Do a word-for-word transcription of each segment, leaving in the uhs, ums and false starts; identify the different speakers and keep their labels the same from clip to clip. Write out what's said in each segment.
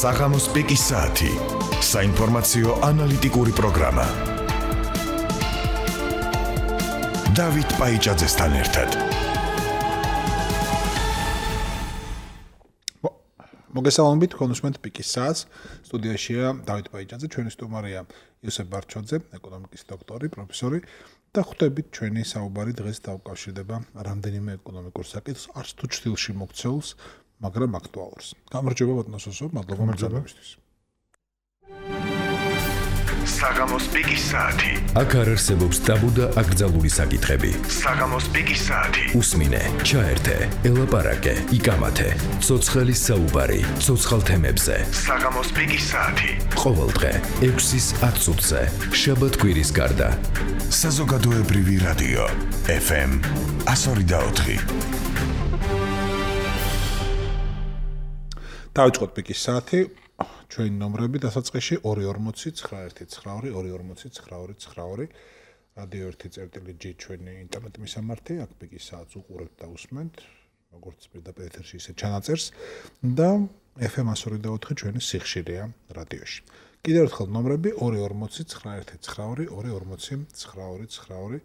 Speaker 1: საღამოს პიკის საათი. საინფორმაციო ანალიტიკური პროგრამა. დავით პაიჭაძესთან ერთად.
Speaker 2: მოგესალმებით, კონსუმენტ პიკის საათს. სტუდიაშია დავით პაიჭაძე, ჩვენი სტუმარია იოსებ ბარჩოძე, ეკონომიკის დოქტორი, პროფესორი და ხვდებით ჩვენი საუბარი დღეს დაუკავშირდება რამდენიმე ეკონომიკურ საკითხს, არც თუ ჩრდილში მოქცეულს, მაგრამ აქტუალურს. გამარჯობა ბატონოსო, მადლობა მოწვევისთვის.
Speaker 1: საღამოს პიკის საათი.
Speaker 3: აქ არ არსებობს ტაბუ და აკრძალული საკითხები.
Speaker 1: საღამოს პიკის საათი.
Speaker 3: უსმინე, ჩაერთე, ელაპარაკე, იკამათე. ცოცხლის საუბარი, ცოცხალ თემებზე.
Speaker 1: საღამოს პიკის საათი.
Speaker 3: ყოველდღე ექვსის ათ წუთზე. შაბათ-კვირის გარდა.
Speaker 1: საზოგადოებრივი რადიო ეფ ემ εκατო ორი და ოთხი.
Speaker 2: დავიწყოთ პიკის საათი. ჩვენი ნომრები დასაწყისში ორი ორმოცი ცხრა ერთი ცხრა ორი ორი ორმოცი ცხრა ორი ცხრა ორი რადიო ერთი წერტილი ჯი ჩვენი ინტერნეტ მისამართი, აქ პიკის საათს უყურებთ და უსმენთ, როგორც პირდაპირ ეთერში, ისე ჩანაწერს და ეფ ემ εκατო ორი და ოთხი ჩვენი სიხშირეა რადიოში. კიდევ ერთხელ ნომრები ორი ორმოცი ცხრა ერთი ცხრა ორი ორი ორმოცი ცხრა ორი ცხრა ორი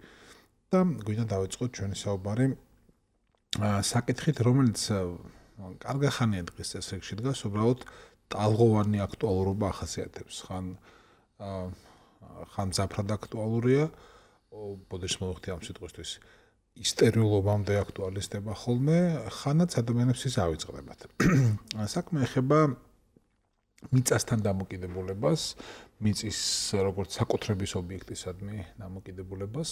Speaker 2: და გვინდა დავიწყოთ ჩვენი საუბარი საკითხით, რომელიც კარგი ხანია დღეს წესრიგში დგას, უბრალოდ ტალღოვანი აქტუალურობა ახასიათებს. ხან ხან ზაფრად აქტუალურია, ბოდიშ მოხდი ამ სიტყვისთვის ისტერიულობამდე აქტუალიზდება ხოლმე, ხანაც ადამიანებს ის ავიწყდებათ. საქმე ეხება მიწასთან დამოკიდებულებას, მიწის როგორც საკუთრების ობიექტისადმი დამოკიდებულებას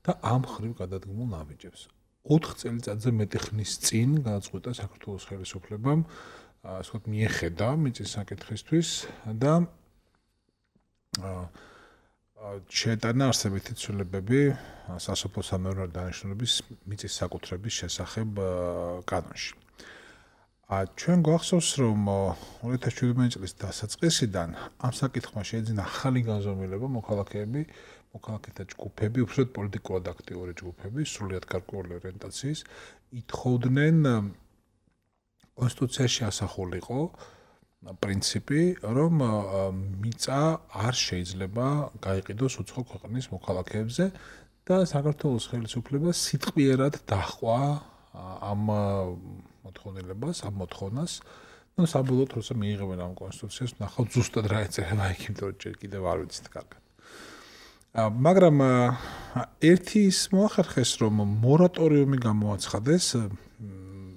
Speaker 2: და ამ ხრივ გადადგმულ ნაბიჯებს. ოთხ წელიწადზე მეტი ხნის წინ გადაწყვიტა საქართველოს ხელისუფლებამ ასე ვთქვათ, მიეხედა მიწის საკითხისთვის და შეეტანა არსებითი ცვლილებები სასოფლო-სამეურნეო დანიშნულების მიწის საკუთრების შესახებ კანონში. ჩვენ გვახსოვს, რომ ორი ათას შვიდმეტი წლის დასაწყისიდან ამ საკითხმა შეეძინა ახალი განზომილება, მოქალაქეები, მოქალაქეთა ჯგუფები, უბრალოდ პოლიტიკურად აქტიური ჯგუფები, სრულიად გარკვეული ორიენტაციის, ითხოვდნენ კონსტიტუციაში ასახულიყო პრინციპი, რომ მიწა არ შეიძლება გაიყიდოს უცხო ქვეყნის მოქალაქეებზე და საქართველოს ხელისუფლებას სიტყვიერად დაჰყვა ამ მოთხოვნილებას, ამ მოთხოვნას. ნუ საბოლოოდ როცა მიიღებენ ამ კონსტიტუციას, ნახავთ ზუსტად რა ეწერება იქ, იმიტომ რომ ჯერ კიდევ არ ვიცით კარგად. მაგრამ ერთი ის მოახერხეს, რომ მორატორიუმი გამოაცხადეს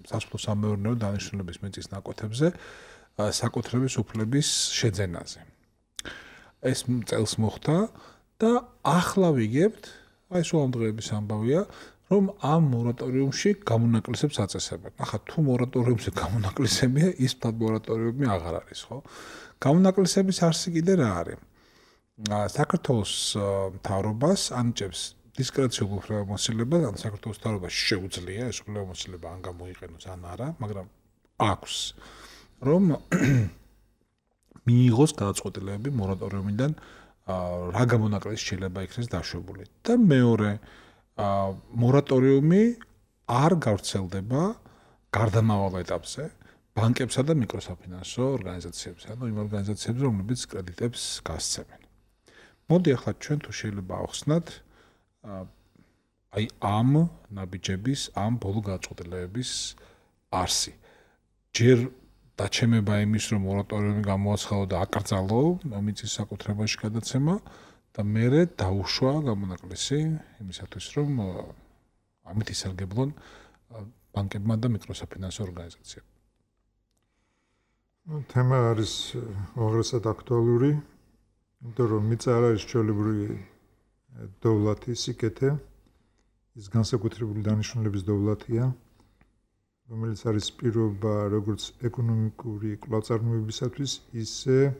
Speaker 2: სასოფლო-სამეურნეო დანიშნულების მიწის ნაკვეთებზე საკუთრების უფლების შეძენაზე. ეს წელს მოხდა და ახლა ვიგებთ, აი სულ ამ დღეების ამბავია, რომ ამ მორატორიუმში გამონაკლისებს აწესებენ. ახლა თუ მორატორიუმზე გამონაკლისებია, ის ფთად მორატორიუმი აღარ არის, ხო? გამონაკლისების არსი კიდე რა არის? საქართველოს მთავრობას ანიჭებს დისკრეციულ უფლებამოსილებას, ან საქართველოს მთავრობას შეუძლია ეს უფლებამოსილება ან გამოიყენოს, ან არა, მაგრამ აქვს, რომ მიიღოს გადაწყვეტილებები მორატორიუმიდან, რა გამონაკლისის შეიძლება იქნეს დაშვებული. და მეორე, მორატორიუმი არ გავრცელდება გარდამავალ ეტაპზე ბანკებსა და მიკროსაფინანსო ორგანიზაციებზე, ანუ იმ ორგანიზაციებზე, რომლებიც კრედიტებს გასცემენ. მოდი ახლა ჩვენ თუ შეიძლება ავხსნათ აი ამ ნაბიჯების, ამ ბოლო გადაწყვეტილებების არსი. ჯერ დაჩემება იმის, რომ მორატორიუმი გამოაცხადო და აკრძალო მიწის საკუთრებაში გადაცემა და მერე დაუშვა გამონაკლისი იმისათვის, რომ ამით ისარგებლონ ბანკებმა და მიკროსაფინანსო ორგანიზაციებმა.
Speaker 4: თემა არის უაღრესად აქტუალური, იმიტომ რომ მიწა არ არის ჩვეულებრივი დოვლათი, სიკეთე, ის განსაკუთრებული დანიშნულების დოვლათია, რომელიც არის პირობა როგორც ეკონომიკური კვლავ-წარმოებისათვის, ისე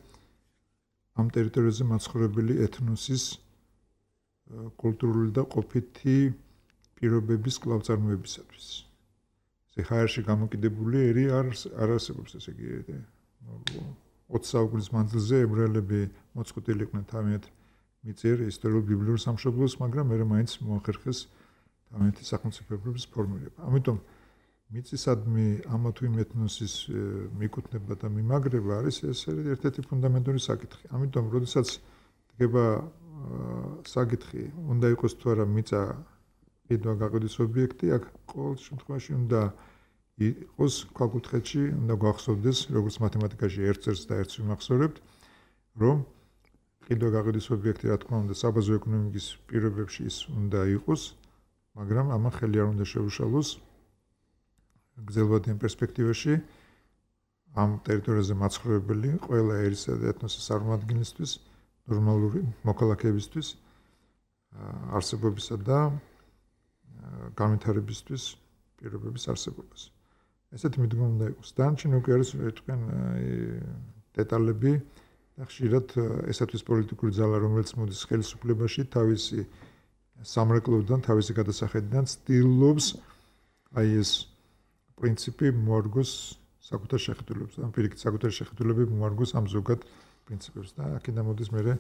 Speaker 4: ამ ტერიტორიაზე მაცხოვრებელი ეთნოსის კულტურული და ყოფითი პირობების კვლავ-წარმოებისათვის. ეს ხაერში გამოკიდებული ერი არ არსებობს, ესე იგი, ოცი საუკუნის მანძილზე ებრაელები მოწყვეტილი იყვნენ თავიანთ მიწერ ისტორიულ ბიბლიურ სამშობლოს, მაგრამ მერე მაინც მოახერხეს თავიანთი სახელმწიფოების ფორმირება. ამიტომ მიწისადმი ამა თუ იმ ეთნოსის მიკუთვნება და მიმაგრება არის ეს ერთ-ერთი ფუნდამენტური საკითხი. ამიტომ, როდესაც დგება საკითხი, უნდა იყოს თუ არა მიწა კიდვა გაყიდვის ობიექტი, აქ ყოველ შემთხვევაში უნდა იყოს ქვაკუთხედში, უნდა გვახსოვდეს, როგორც მათემატიკაში ერთ-ერთს და ერთს ვიმახსოვრებთ, რომ კიდვა გაყიდვის ობიექტი, რა თქმა უნდა, საბაზრო ეკონომიკის პირობებში ის უნდა იყოს, მაგრამ ამან ხელი არ უნდა შეუშალოს გრძელვადიან პერსპექტივაში ამ ტერიტორიაზე მაცხოვრებელი ყველა ერისა და ეთნოსის წარმომადგენლისთვის ნორმალური მოქალაქეებისთვის არსებობისა და განვითარებისთვის პირობების არსებობას. ესეთი მიდგომა უნდა იყოს. დანარჩენი უკვე არის თქვენ დეტალები და ხშირად ესეთის პოლიტიკური ძალა, რომელიც მოდის ხელისუფლებაში, თავისი სამრეკლოდან, თავისი გადასახედიდან ცდილობს აი ეს პრინციპი მოარგოს საკუთარ შეხედულებს. ან პირიქით საკუთარი შეხედულები მოარგოს ამ ზოგად პრინციპებს და აქედან მოდის მერე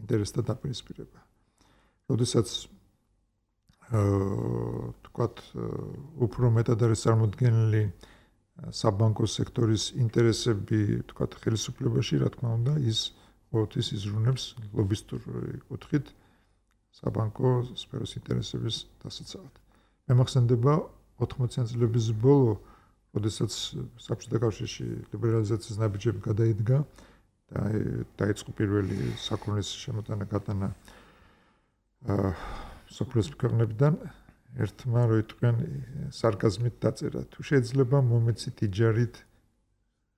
Speaker 4: ინტერესთა დაპირისპირება. როდესაც აა თქვათ უფრო მეტად არის წარმოდგენილი საბანკო სექტორის ინტერესები, თქვათ ხელისუფლებაში, რა თქმა უნდა, ის ყოველთვის იზრუნებს ლობისტური კუთხით საბანკო სფეროს ინტერესების დასაცავად. მე მახსენდება ოთხმოციანი წლების ბოლო, როდესაც საბჭოთა კავშირში ლიბერალიზაციის ნაბიჯები გადაიდგა და დაიწყო პირველი საქონლის შემოტანა გატანა აა სოფლის ქვეყნებიდან, ერთმა რო იტყვიან სარკაზმით დაწერა, თუ შეიძლება მომეცით იჯარით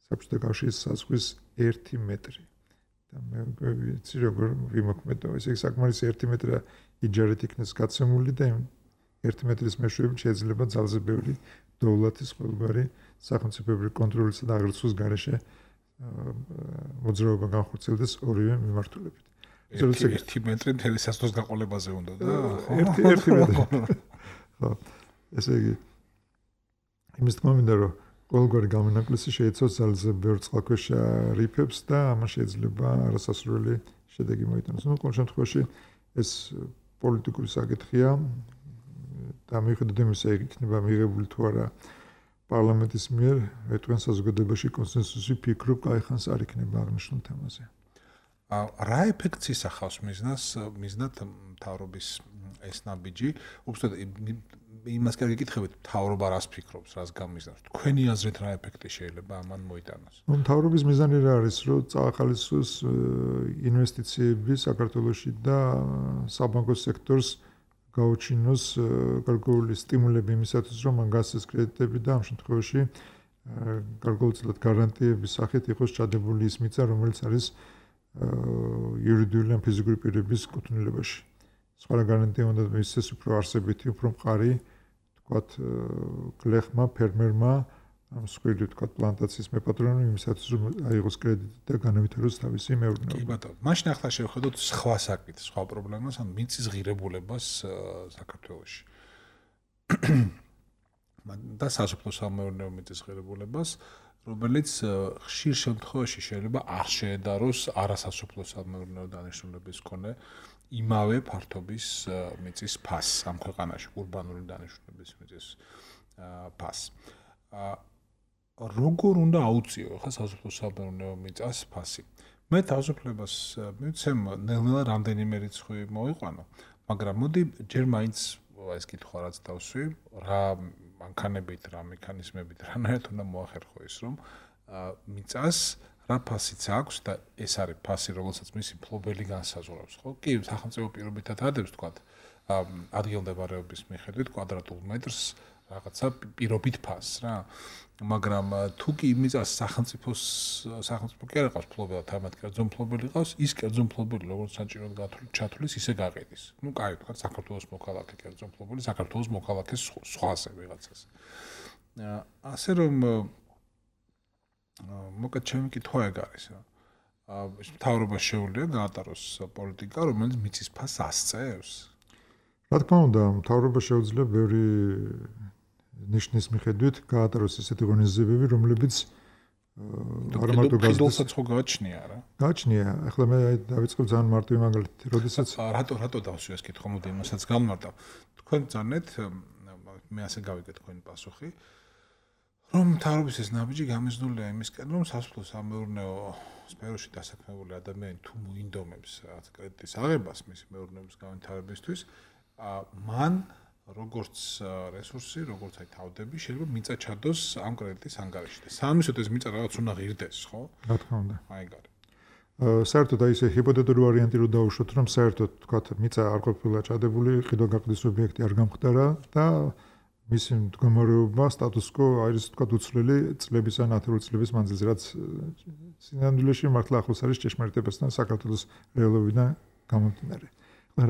Speaker 4: საბჭოთა კავშირის საზღვის ერთი მეტრი. და მე ვიცი როგორ ვიმოქმედო, ესე იგი საკმარისი ერთი მეტრა იჯარით იქნეს გაცემული და ერთი მეტრის მეშვეობით შეიძლება ძალზე ბევრი დოვლათის ყველგარი სახელმწიფოებრივი კონტროლისა და აღრიცხვის გარეშე მოძრაობა განხორციელდეს ორივე მიმართულებით.
Speaker 2: ერთი მეტრი მთელი სასწრაფოს გაყოლებაზე უნდა და
Speaker 4: ერთი ერთი მეტრი. ხო, ესე იგი იმის თქმა მინდა რომ ყველგარი გამონაკლისი შეიცავს ძალზე ბევრ წყალქვეშა რიფებს და ამან შეიძლება არასასურველი შედეგი მოიტანოს. ნუ ყოველ შემთხვევაში ეს პოლიტიკური საკითხია და მიუხედავად იმისა, იქნება მიღებული თუ არა პარლამენტის მიერ, ეტყვიან საზოგადოებაში კონსენსუსი ფიქრობ, კაიხანს არ იქნება აღნიშნულ თემაზე.
Speaker 2: რა ეფექტს ისახავს მიზნას, მიზნად მთავრობის ეს ნაბიჯი? უბრალოდ იმას კი გეკითხებით, მთავრობა რას ფიქრობს, რას გამიზნავს? თქვენი აზრით რა ეფექტი შეიძლება ამან მოიტანოს?
Speaker 4: ნუ მთავრობის მიზანი რა არის, რომ წაახალისოს ინვესტიციები საქართველოში და საბანკო სექტორს გაუჩინოს გარკვეული სტიმულები იმისათვის, რომ მან გასცეს კრედიტები და ამ შემთხვევაში გარკვეულწილად გარანტიების სახით იყოს ჩადებული ის მიწა, რომელიც არის იურიდიული ან ფიზიკური პირების კუთვნილებაში. სხვა გარანტია უნდა მისცეს უფრო არსებითი, უფრო მყარი, თქვათ, გლეხმა, ფერმერმა, ამ სხვილი, თქვათ, პლანტაციის მეპატრონმა იმისათვის, რომ აიღოს კრედიტი და განავითაროს თავისი მეურნეობა.
Speaker 2: კი ბატონო, მაშინ ახლა შევხედოთ სხვა საკითხს, სხვა პრობლემას, ან მიწის ღირებულებას საქართველოში. და სასოფლო-სამეურნეო მიწის ღირებულებას, რომელიც ხშირ შემთხვევაში შეიძლება არ შეედაროს არასასოფლო-სამეურნეო დანიშნულების მქონე იმავე ფართობის მიწის ფასს ამ ქვეყანაში, урბანული დანიშნულების მიწის ფასს. როგორ უნდა აუწიო ხა სასოფლო-სამეურნეო მიწას ფასი? მე თავისუფლებას მივცემ ნელ-ნელა რამდენიმე რიცხვი მოვიყვანო, მაგრამ მოდი ჯერ მაინც ეს კითხვა რაც დავსვი, რა მანქანებით, რა მექანიზმებით, რანაირად უნდა მოახერხო ის, რომ მიწას რა ფასიც აქვს და ეს არის ფასი, რომელსაც მისი მფლობელი განსაზღვრავს, ხო? კი, სახელმწიფო პირობითად ადებს, თქვათ, ადგილმდებარეობის მიხედვით კვადრატულ მეტრს რაღაცა პირობით ფასს რა. მაგრამ თუ კი მიწას სახელმწიფოს სახელმწიფო კი არ ყავს მფლობელად, თამათ კერძო მფლობელი ყავს, ის კერძო მფლობელი როგორც საჭიროდ ჩათვლის, ისე გაყიდის. ნუ კაი, თქვათ, საქართველოს მოქალაქე კერძო მფლობელი, საქართველოს მოქალაქეს სხვაზე ვიღაცას. ასე რომ მოკეთ ჩემი კითხვა ეგ არის რა. მთავრობა შეუძლია გაატაროს პოლიტიკა, რომელიც მიწის ფასს ასწევს.
Speaker 4: რა თქმა უნდა, მთავრობა შეუძლია ბევრი ნიშნის მიხედვით გაატაროს ესეთი ღონისძიებები, რომლებიც
Speaker 2: არ მარტო გაზეთსაც ხო გააჩნია რა.
Speaker 4: გააჩნია. ახლა მე დავიწყებ ძალიან მარტივი მაგალითი, როდესაც
Speaker 2: რატო რატო დავსვი ეს კითხვა, მოდი იმასაც გამმართავ. თქვენ ძანეთ, მე ასე გავიგე თქვენი პასუხი. რომ მთავრობის ეს ნაბიჯი გამიზნულია იმისკენ, რომ სასოფლო სამეურნეო სფეროში დასაქმებული ადამიანი თუ მოინდომებს რაღაც კრედიტის აღებას მისი მეურნეობის განვითარებისთვის, მან როგორც რესურსი, როგორც აი თავდები შეიძლება მიწა ჩადოს ამ კრედიტის ანგარიში და სამისოთ ეს მიწა რაღაც უნდა ღირდეს, ხო?
Speaker 4: რა თქმა უნდა.
Speaker 2: აი გარე.
Speaker 4: საერთოდ აი ესე ჰიპოთეტური ვარიანტი რო დავუშვოთ, რომ საერთოდ თქვათ მიწა არ ყოფილა ჩადებული, ყიდვა-გაყიდვის ობიექტი არ გამხდარა და მისი მდგომარეობა სტატუს-კვო არის თქვათ უცვლელი წლების ან ათეული წლების მანძილზე, რაც სინამდვილეში მართლა ახლოს არის ჭეშმარიტებასთან საქართველოს რეალობიდან გამომდინარე.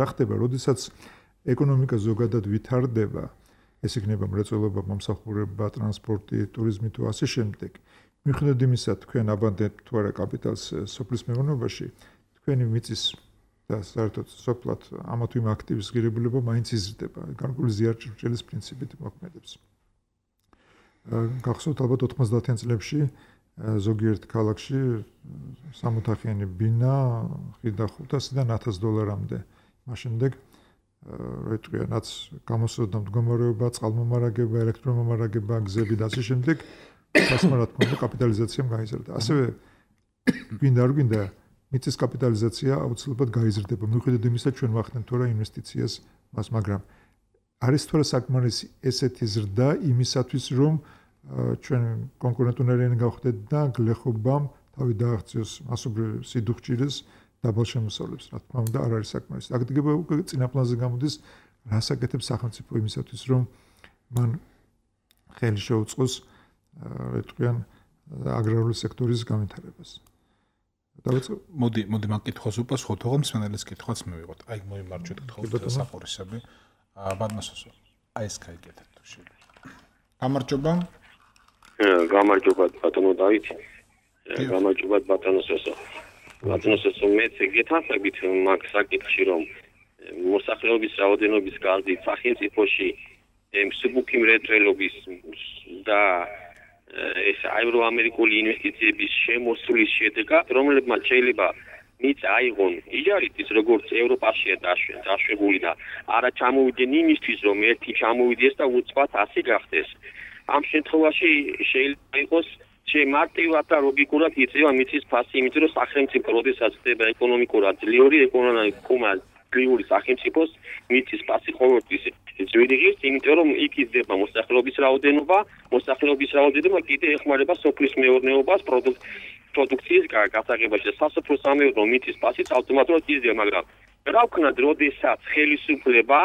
Speaker 4: რა ხდება, როდესაც ეკონომიკა ზოგადად ვითარდება, ეს იქნება მრეწველობა, მომსახურება, ტრანსპორტი, ტურიზმი თუ ასე შემდეგ. მიუხედავად იმისა, თქვენ აბანდებთ თუ არა კაპიტალს სოფლის მეურნეობაში, თქვენი მიწის და საერთოდ სოფლად ამა თუ იმ აქტივის ღირებულება მაინც იზრდება, გარკვეული ზიარჭრჭელის პრინციპით მოქმედებს. გახსოვთ ალბათ ოთხმოცდაათიან წლებში ზოგიერთ ქალაქში სამოთახიანი ბინა ხიდა ხუთასიდან ათას დოლარამდე. მაშინდელ რა იტყვია, რაც გამოსწორდა მდგომარეობა, წყალმომარაგება, ელექტრომომარაგება, გზები და ასე შემდეგ, გასმა რა თქმა უნდა კაპიტალიზაციამ გაიზარდა. ასევე გვინდა არ გვინდა მიწის კაპიტალიზაცია აუცილებლად გაიზრდება. მიუხედავად იმისა, ჩვენ ვახდენთ თორე ინვესტიციას მას, მაგრამ არის თორე საკმარისი ესეთი ზრდა იმისათვის, რომ ჩვენ კონკურენტუნარიანი გავხდეთ და გლეხობამ თავი დააღწიოს მასობრივ სიდუხჭირეს დაბალ შემოსავლებს. რა თქმა უნდა, არ არის საკმარისი. აკეთება უკვე წინაპლანზე გამოდის, რას აკეთებს სახელმწიფო იმისათვის, რომ მან ხელი შეუწყოს რა იტყვიან აგრარული სექტორის განვითარებას. დავიწყო.
Speaker 2: მოდი, მოდი მაგ კითხვას უპასუხოთ, თორემ მსმენელის კითხვაც მივიღოთ. აი მოიმარჯვეთ თქო საფორისები. ბატონოსო, აი ეს გაიგეთეთ თუ შეიძლება. გამარჯობა.
Speaker 5: გამარჯობა ბატონო დავით. გამარჯობა ბატონოსო. ბატონოსო, მეც გეთანხმებით მაგ საკითხში, რომ მოსახლეობის რაოდენობის გაზრდით სახელმწიფოში მსუბუქი მრეწველობის და ეს ევროამერიკული ინვესტიციების შემოსulis შედეგად, რომლებმაც შეიძლება მიწა აიღონ იჯარით, როგორც ევროპაშია დაშვებული და არა ჩამოვიდნენ იმისთვის, რომ ერთი ჩამოვიდეს და უცბად ასე გახდეს. ამ შემთხვევაში შეიძლება იყოს შემარტივად და ლოგიკურად იწევა მიწის ფასი, იმიტომ რომ სახელმწიფო როდესაც ხდება ეკონომიკურად ძლიური, ეკონომიკურად ძლიური სახელმწიფოს მიწის ფასი ყოველთვის ძვირი ღირს, იმიტომ რომ იქ იზრდება მოსახლეობის რაოდენობა, მოსახლეობის რაოდენობა კიდე ეხმარება სოფლის მეურნეობას, პროდუქციის გასაღებაში და სასოფლო სამეურნეო მიწის ფასიც ავტომატურად იზრდება, მაგრამ რა ვქნათ, როდესაც ხელისუფლება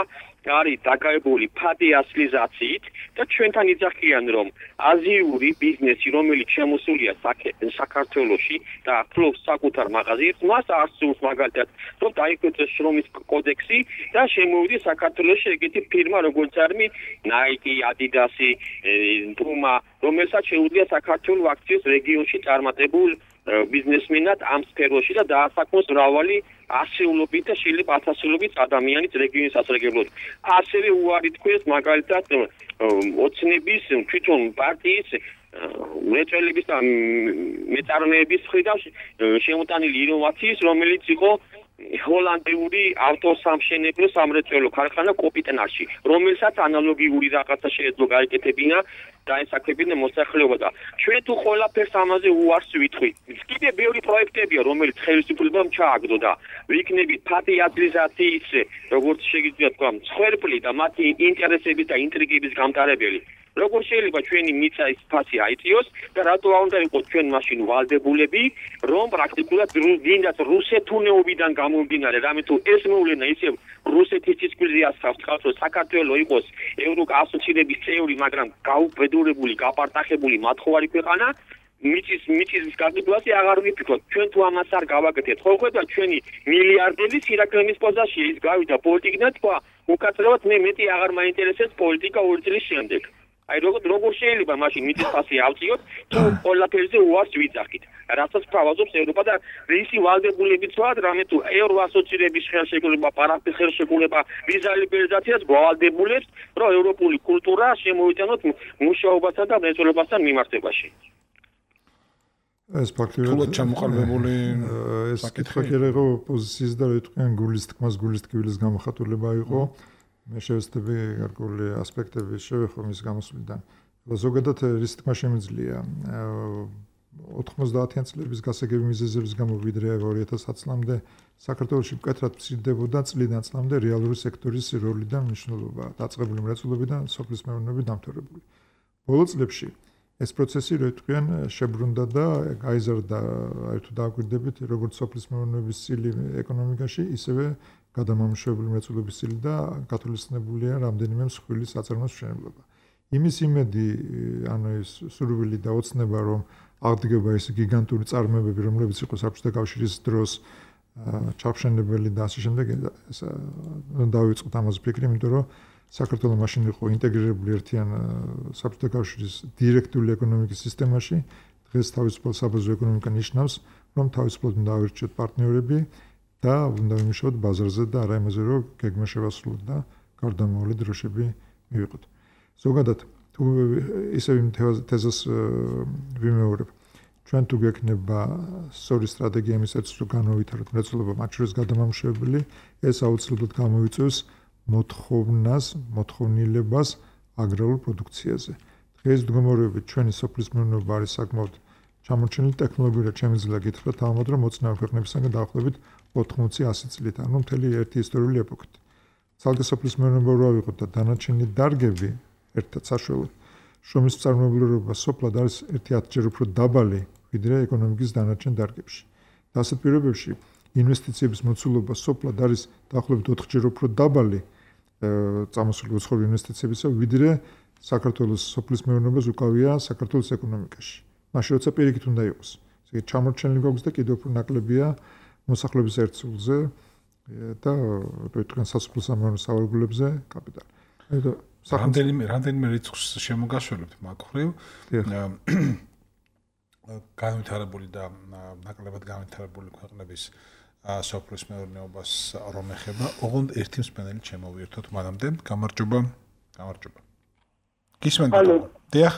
Speaker 5: არის დაკავებული ფადი ასლიზაციით და ჩვენთან იძახიან, რომ აზიური ბიზნესი, რომელიც შემოსულია საქართველოში და ფლობს საკუთარ მაღაზიებს, მას არ სურს მაგალითად, რომ დაიკვეთოს შრომის კოდექსი და შემოვიდეს საქართველოში ეგეთი ფირმა, როგორც არის Nike, Adidas, Puma, რომელსაც შეუძლია საქართველოს აქციებს რეგიონში წარმატებულ ბიზნესმენად ამ სფეროში და დაასაქმოს მრავალი ასეულობით და შეიძლება ათასეულობით ადამიანის რეგიონის ასრეგებლად. ასევე უარი თქვეს მაგალითად ოცნების თვითონ პარტიის მეწველების და მეწარმეების მხრიდან შემოტანილი ინოვაციის, რომელიც იყო ჰოლანდიური ავტოსამშენებლო სამრეწველო ქარხანა კოპიტენაში, რომელსაც ანალოგიური რაღაცა შეეძლო გაეკეთებინა და ესაკებინა მოსახლეობა და ჩვენ თუ ყველაფერს ამაზე უარს ვითხვით. კიდე ბევრი პროექტებია, რომელიც ხელისუფლებამ ჩააგდო და ვიქნებით ფადი ადმინისტრაციის, როგორც შეგიძლია თქვა, მსხვერპლი და მათი ინტერესების და ინტრიგების გამტარებელი. როგორ შეიძლება ჩვენი მიწის ფასი აიწიოს და რატო არ უნდა იყოს ჩვენ მაშინ ვალდებულები, რომ პრაქტიკულად დინდათ რუსეთუნეობიდან გამომდინარე, რამე თუ ეს მოვლენა ისევ რუსეთის წისქვილზე ასახავს, რომ საქართველოს იყოს ევროასოცირების წევრი, მაგრამ გაუბედურებული, გაპარტახებული მათხოვარი ქვეყანა, მიწის მიწის გაზრდაზე აღარ ვიფიქროთ. ჩვენ თუ ამას არ გავაკეთებთ, ხო ხედავთ ჩვენი მილიარდების ირაკლემის პოზიციაში ის გავიდა პოლიტიკიდან თქვა, უკაცრავად მე მეტი აღარ მაინტერესებს პოლიტიკა ორი წლის შემდეგ. აი როგორ როგორ შეიძლება მაშინ მიწის ფასი ავწიოთ, თუ ყველაფერზე უარს ვიძახით. რასაც თავაზობს ევროპა და რისი ვალდებულებიც ვართ, რამე თუ ევროასოცირების ხელშეკრულება, პარაფის ხელშეკრულება, ვიზა ლიბერალიზაციას გვავალდებულებს, რომ ევროპული კულტურა შემოვიტანოთ მუშაობასთან და მრეწველობასთან მიმართებაში.
Speaker 4: ეს ფაქტობრივად
Speaker 2: ჩამოყალიბებული
Speaker 4: ეს კითხვა კი იყო პოზიციის და რა თქვენ გულის თქმას, გულის ტკივილის გამოხატულება იყო. მე შევეცდები გარკვეული ასპექტები შევეხო მის გამოსვლიდან. ზოგადად რის თქმა შემიძლია ოთხმოცდაათიან წლების გასაგები მიზეზების გამო ვიდრე ორი ათას ათი წლამდე საქართველოში მკვეთრად მცირდებოდა წლიდან წლამდე რეალური სექტორის როლი და მნიშვნელობა დაწყებული მრეწველობიდან სოფლის მეურნეობის დამთავრებული. ბოლო წლებში ეს პროცესი როიტყვიან შებრუნდა და გაიზარდა აი თუ დააკვირდებით როგორც სოფლის მეურნეობის წილი ეკონომიკაში ისევე გადამამუშავებელი მრეწველობის წილი და გათვალისწინებულია რამდენიმე მსხვილი საწარმოს მშენებლობა. იმის იმედი ანუ ეს სურვილი და ოცნება რომ აღდგება ეს გიგანტური წარმოებები რომლებიც იყო საბჭოთა კავშირის დროს ჩახშენებელი და ასე შემდეგ ეს დავიწყოთ ამაზე ფიქრი იმიტომ რომ საქართველოს მაშინ იყო ინტეგრირებული ერთიან საბჭოთა კავშირის დირექტიული ეკონომიკის სისტემაში დღეს თავისუფალ საბაზრო ეკონომიკა ნიშნავს რომ თავისუფლად უნდა ავირჩიოთ პარტნიორები და უნდა ვიმუშაოთ ბაზარზე და არა იმაზე რომ გეგმა შევასრულოთ და გარდამავალი დროშები მივიღოთ. ზოგადად თუ ისევ იმ თეზას ვიმეორებ ჩვენ თუ გექნება სწორი სტრატეგია იმისათვის რომ განავითაროთ მრეწველობა მათ შორის გადამამუშავებელი ეს აუცილებლად გამოიწვევს მოთხოვნას მოთხოვნილებას აგრარულ პროდუქციაზე. დღეს მდგომარეობით ჩვენი სოფლის მეურნეობა არის საკმაოდ ჩამორჩენილი ტექნოლოგიურად შემიძლია გითხრათ ალბათ რომ მოცნავ ქვეყნებისგან დაახლოებით ოთხმოცი ასი წლით ანუ მთელი ერთი ისტორიული ეპოქით. ძალზე სოფლის მეურნეობა რო ავიღოთ და დანარჩენი დარგები ერთად საშუალოდ შრომის მწარმოებლობა სოფლად არის ერთი ათჯერ უფრო დაბალი ვიდრე ეკონომიკის დანარჩენ დარგებში. და ასეთ პირობებში ინვესტიციების მოცულობა სოფლად არის დაახლოებით ოთხჯერ უფრო დაბალი წამოსული უცხოური ინვესტიციებისა ვიდრე საქართველოს სოფლის მეურნეობას უკავია საქართველოს ეკონომიკაში. მაშინ როცა პირიქით უნდა იყოს. ესე ჩამორჩენილი გვაქვს და კიდევ უფრო ნაკლებია მოსახლეობის ერთსულზე და როიტყვიან სასოფლო სამეურნეო სავარგულებზე კაპიტალი.
Speaker 2: რამდენიმე რამდენიმე რიცხვს შემოგაშველებთ მაგხრივ განვითარებული და ნაკლებად განვითარებული ქვეყნების სოფლის მეურნეობას რომ ეხება ოღონდ ერთი მსმენელი შემოვიერთოთ მანამდე გამარჯობა გამარჯობა გისმენთ დიახ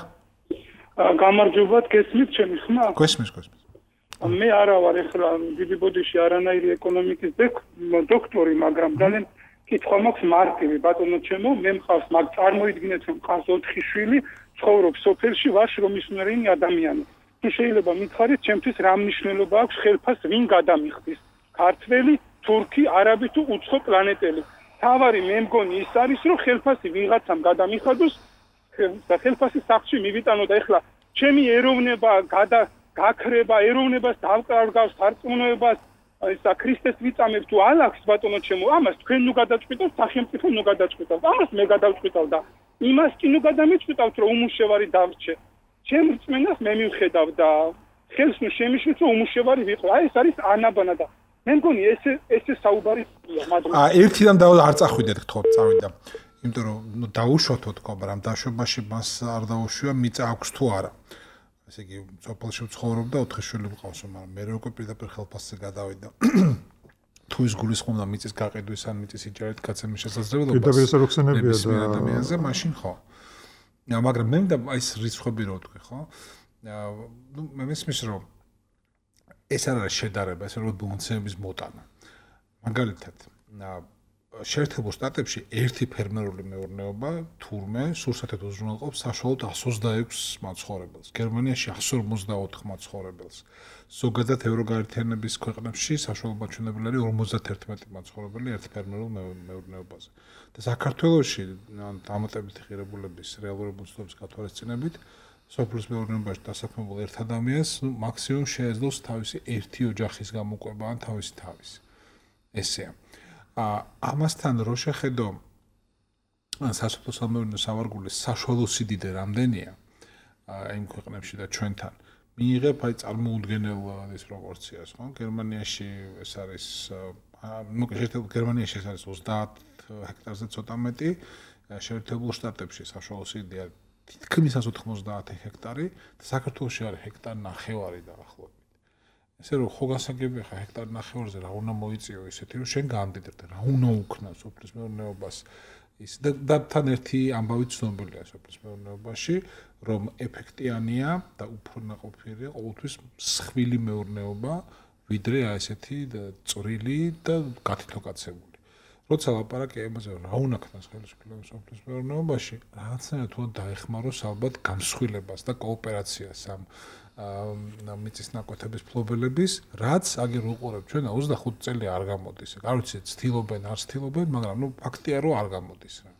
Speaker 6: გამარჯობა გესმით ჩემი ხმა
Speaker 2: გესმის გესმის
Speaker 6: მე არა ვარ ეხლა დიდი ბოდიში არანაირი ეკონომიკის დოქტორი მაგრამ ძალიან კითხვა მაქვს მარტივი ბატონო ჩემო მე მყავს მაგ წარმოიდგინეთ რომ მყავს ოთხი შვილი ცხოვრობს სოფელში ვარ შრომისმიერი ადამიანი თუ შეიძლება მითხარით ჩემთვის რა მნიშვნელობა აქვს ხელფას ვინ გადამიხდის ქართველი თურქი არაბი თუ უცხო პლანეტელი თავარი მე მგონი ის არის რომ ხელფასი ვიღაცამ გადამიხადოს და ხელფასი სახში მივიტანო და ეხლა ჩემი ეროვნება გადა გაქრება ეროვნებას დავკარგავს სარწმუნოებას ისა ქრისტეს ვიწამებ თუ ალახს ბატონო ჩემო ამას თქვენ ნუ გადაწყვიტავთ სახელმწიფო ნუ გადაწყვიტავთ ამას მე გადავწყვიტავ და იმას კი ნუ გადამიწყვიტავთ რომ უმუშევარი დავრჩე ჩემ რწმენას მე მივხედავ და ხელს ნუ შემიშვით რომ უმუშევარი ვიყო აი ეს არის ანაბანა და მე მგონი ეს ეს საუბარია მაგრამ
Speaker 2: აა ერთიდან და არ წახვიდეთ თქო წავიდა იმიტომ რომ ნუ დაუშვათო თქო მაგრამ დაშვებაში მას არ დაუშვია მიწა აქვს თუ არა ესე იგი სოფელში ცხოვრობდა ოთხი შვილი მყავს მაგრამ მე როგორ პირდაპირ ხელფასზე გადავიდა თუ ის გულისხმობდა მიწის გაყიდვის ან მიწის იჯარით გაცემის შესაძლებლობას
Speaker 4: პირდაპირ ეს როხსენებია და
Speaker 2: ადამიანზე მაშინ ხო მაგრამ მე და აი ეს რიცხვები რო თქვი ხო ნუ მე მისმის რომ ეს არ არის შედარება ეს არის ბონუსების მოტანა მაგალითად შეერთებულ შტატებში ერთი ფერმერული მეურნეობა თურმე სურსათად უზრუნველყოფს საშუალოდ εκατს ოცდაექვსი მაცხოვრებელს გერმანიაში εκατს ორმოცდაოთხ მაცხოვრებელს ზოგადად ევროგაერთიანების ქვეყნებში საშუალო მაჩვენებელი არის ორმოცდაერთმეტი მაცხოვრებელი ერთ ფერმერულ მეურნეობაზე და საქართველოში დამატებითი ღირებულების რეალური მოცულობის გათვალისწინებით სოფლის მეურნეობაში დასაქმებულ ერთ ადამიანს მაქსიმუმ შეეძლოს თავისი ერთი ოჯახის გამოყვება ან თავისი თავისი ესეა ამასთან რო შეხედო სასოფლო სამეურნეო სავარგულის საშუალო სიდიდე რამდენია იმ ქვეყნებში და ჩვენთან მიიღებ აი წარმოუდგენელ ის პროპორციას ხო გერმანიაში ეს არის ნუ შეერთებულ გერმანიაში ეს არის ოცდაათ ჰექტარზე ცოტა მეტი შეერთებულ შტატებში საშუალო სიდიდე თითქმის εκατს ოთხმოცდაათი ჰექტარი და საქართველოში არის ჰექტარი ნახევარი დაახლოებით ესე რომ ხო გასაგებია ხა ჰექტარი ნახევარზე რა უნდა მოიწიო ისეთი რომ შენ გამდიდრდე რა უნდა უქნა სოფლის მეურნეობას ის და თან ერთი ამბავი ცნობილია სოფლის მეურნეობაში რომ ეფექტიანია და უფრო ნაყოფიერია ყოველთვის მსხვილი მეურნეობა ვიდრე აი ესეთი წვრილი და გათითლოკაცებული როცა ლაპარაკია იმაზე, რა უნდა ქნას ხელისუფლება სოფლის მეურნეობაში, რაღაცნაირად თუ დაეხმაროს ალბათ გამსხვილებას და კოოპერაციას ამ მიწის ნაკვეთების ფლობელების, რაც აგერ უყურებ ჩვენ ოცდახუთი წელი არ გამოდის. არ ვიცი, ცდილობენ, არ ცდილობენ, მაგრამ ნუ ფაქტია რომ არ გამოდის რა.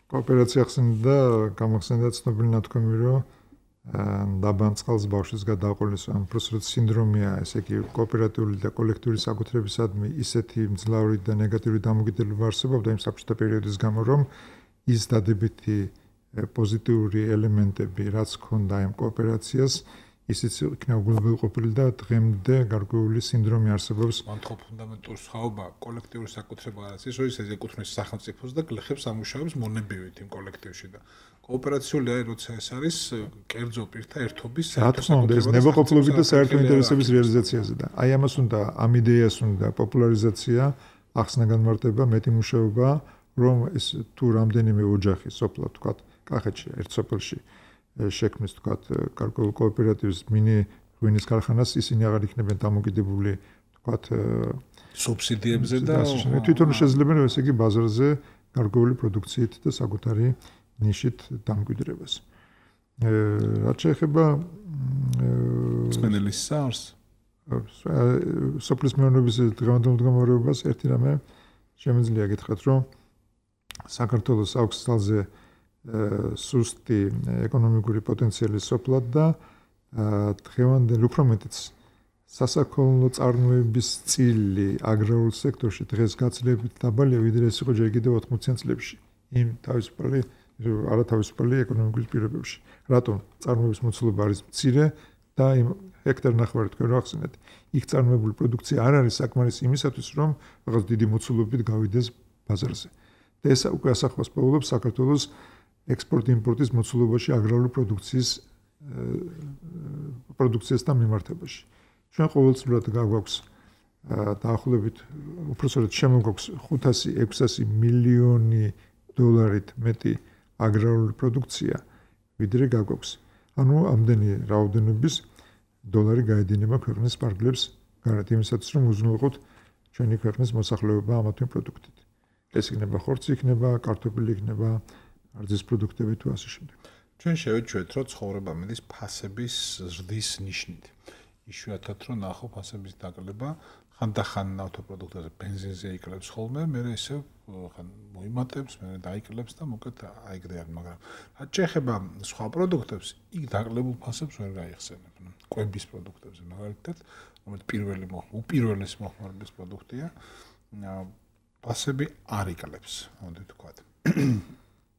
Speaker 4: კოოპერაცია ხსენდა, გამახსენდა ცნობილი ნათქვამი, რომ დაბან წყალს ბავშვის გადაყოლის, ან უბრალოდ სინდრომია, ესე იგი კოოპერატიული და კოლექტიური საკუთრებისადმი ისეთი მძლავრი და ნეგატიური დამოკიდებულება არსებობდა იმ საბჭოთა პერიოდის გამო, რომ ის დადებითი პოზიტიური ელემენტები, რაც ჰქონდა იმ კოოპერაციას, ისიც იქნა უგულმოყოფილი და დღემდე გარკვეული სინდრომი არსებობს.
Speaker 2: მან ხო ფუნდამენტური სხვაობა კოლექტიური საკუთრება არის ის, რომ ის ეკუთვნის სახელმწიფოს და გლეხებს ამუშავებს მონებივით იმ კოლექტივში და კოოპერაციული არის, როცა ეს არის კერძო პირთა ერთობის
Speaker 4: საკუთრება, ნებაყოფლობით და საერთო ინტერესების რეალიზაციაზე და აი ამას უნდა, ამ იდეას უნდა პოპულარიზაცია, ახსნა განმარტება, მეტი მუშაობა, რომ ეს თუ რამდენიმე ოჯახი სოფლად ვთქვათ, კახეთში ერთ სოფელში შექმნის ვთქვათ გარკვეულ კოოპერატივს მინი ღვინის ქარხანას, ისინი აღარ იქნებიან დამოკიდებული ვთქვათ
Speaker 2: სუბსიდიებზე და
Speaker 4: თვითონ შეძლებენ ესე იგი ბაზარზე გარკვეული პროდუქციით და საკუთარი ნიშით დამკვიდრებას. რაც შეეხება
Speaker 2: წმენელის SARS
Speaker 4: სოფლის მეურნეობის დღევანდელ მდგომარეობას ერთი რამე შემიძლია გითხრათ, რომ საქართველოს აქვს ძალზე სუსტი ეკონომიკური პოტენციალი სოფლად და დღევანდელ უფრო მეტიც სასაქონლო წარმოების წილი აგრარულ სექტორში დღეს გაცილებით დაბალია, ვიდრე ეს იყო ჯერ კიდევ ოთხმოციან წლებში იმ თავისუფალი არათავისუფალი ეკონომიკის პირობებში. რატომ წარმოების მოცულობა არის მცირე და იმ ჰექტარ ნახევარი თქვენ რა ახსენეთ, იქ წარმოებული პროდუქცია არ არის საკმარისი იმისათვის, რომ რაღაც დიდი მოცულობით გავიდეს ბაზარზე. და ეს უკვე ასახავს პოულობს საქართველოს ექსპორტ-იმპორტის მოცულობაში აგრარული პროდუქციის პროდუქციასთან მიმართებაში. ჩვენ ყოველწლიურად გაგვაქვს დაახლოებით უпроსორეთ შემოგვაქვს ხუთასი ექვსასი მილიონი დოლარით მეტი აგრარული პროდუქცია, ვიდრე გაგვაქვს. ანუ ამდენი რაოდენობის დოლარი გაედინება ქვეყნის პარკლებს გარეთ იმისათვის, რომ უზრუნველყოთ ჩვენი ქვეყნის მოსახლეობა ამა თუ იმ პროდუქტით. ეს იქნება ხორცი, იქნება კარტოფილი, იქნება არძის პროდუქტები თუ ასე შემდეგ.
Speaker 2: ჩვენ შევეჩვევთ, რომ ცხოვრება მიდის ფასების ზრდის ნიშნით. იშვიათად რომ ნახო ფასების დაკლება, ხანდახან ავტოპროდუქტებზე ბენზინზე იკლებს ხოლმე, მე ისევ ხან მოიმატებს, მე დაიკლებს და მოკეთ აიგდიან, მაგრამ რაც შეეხება სხვა პროდუქტებს, იქ დაკლებულ ფასებს ვერ გაიხსენებ. კვების პროდუქტებზე მაგალითად, რომელიც პირველი უპირველესი მოხმარების პროდუქტია, ფასები არ იკლებს, მოდი ვთქვათ.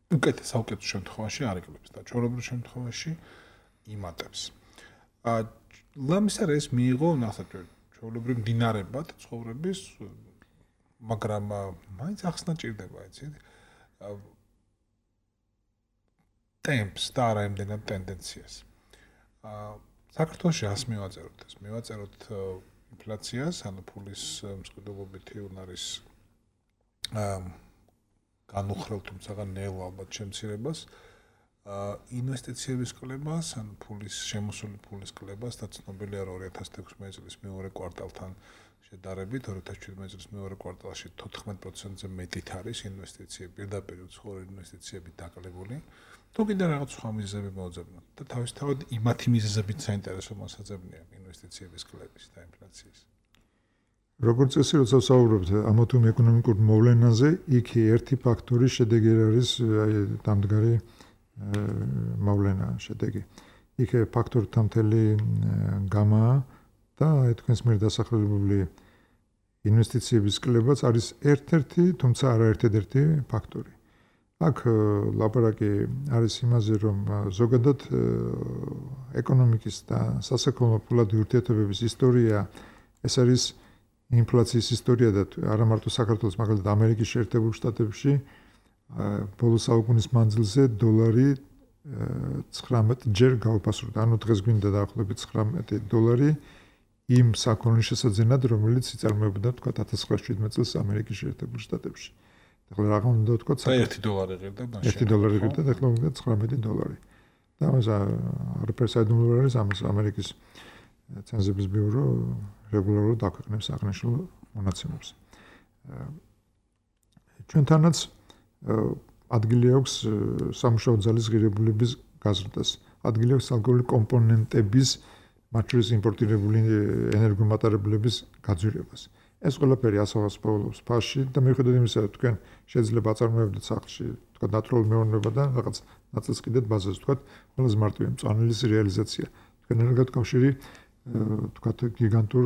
Speaker 2: უკეთეს საუკეთესო შემთხვევაში არ იკლებს და ჩვეულებრივ შემთხვევაში იმატებს. აა ლამისარ ეს მიიღო ნახეთ ჩვეულებრივ მდინარებად ცხოვრების, მაგრამ მაინც ახსნა ჭირდება, იცით? ტემპს და არა იმდენად ტენდენციას. აა საქართველოში ას მივაწეროთ ეს? მივაწეროთ ინფლაციას, ანუ ფულის მსხვერპლობითი უნარის აა განუხრელ თუმცა ნელ ალბათ შემცირებას, ინვესტიციების კლებას, ან ფულის შემოსული ფულის კლებას და ცნობილია რომ ორი ათას ექვსმეტი წლის მეორე კვარტალთან შედარებით ორი ათას შვიდმეტი წლის მეორე კვარტალში თოთხმეტ პროცენტზე მეტით არის ინვესტიციები, პირდაპირ უცხოური ინვესტიციები დაკლებული. თუ კიდე რაღაც სხვა მიზეზები მოძებნოთ და თავისთავად იმათი მიზეზებით საინტერესო მოსაძებნია ინვესტიციების კლების და ინფლაციის.
Speaker 4: როგორც წესი, როცა ვსაუბრობთ ამ თუ ეკონომიკურ მოვლენაზე, იქ ერთი ფაქტორი შედეგი არის დამდგარი მოვლენა შედეგი. იქ ფაქტორთა მთელი გამაა და თქვენს მიერ დასახელებული ინვესტიციების კლებაც არის ერთ-ერთი, თუმცა არა ერთ-ერთი ფაქტორი. აქ ლაპარაკი არის იმაზე, რომ ზოგადად ეკონომიკის და სასაქონლო ფულადი ურთიერთობების ისტორია ეს არის ინფლაციის ისტორია და არა მარტო საქართველოს, მაგალითად ამერიკის შეერთებულ შტატებში ბოლო საუკუნის მანძილზე დოლარი ცხრამეტ ჯერ გაუფასურდა. ანუ დღეს გვინდა დაახლოებით ცხრამეტი დოლარი იმ საქონლის შესაძენად, რომელიც იწარმოებოდა თქვა ათას ცხრაასი შვიდმეტი წელს ამერიკის შეერთებულ შტატებში. ახლა რა უნდა თქვა
Speaker 2: ერთი დოლარი ღირდა მაშინ.
Speaker 4: ერთი დოლარი ღირდა და ახლა უნდა ცხრამეტი დოლარი. და ამას არაფერ საიდუმლო არის ამას ამერიკის ცენზების ბიურო რეგულარულად აქვეყნებს აღნიშნულ მონაცემებს. ჩვენთანაც ადგილი აქვს სამუშაო ძალის ღირებულების გაზრდას. ადგილი აქვს ალკოჰოლური კომპონენტების, მათ შორის იმპორტირებული ენერგომატარებლების გაძვირებას. ეს ყველაფერი ასაღას პოულობს ფასში და მიუხედავად იმისა, რომ თქვენ შეიძლება აწარმოებდეთ სახლში, თქვა ნატურალური მეურნეობიდან რაღაც ნაწილს კიდეთ ბაზაზე, თქვა ყველაზე მარტივი მწვანელის რეალიზაცია. თქვენ ენერგოკავშირი თქვა გიგანტურ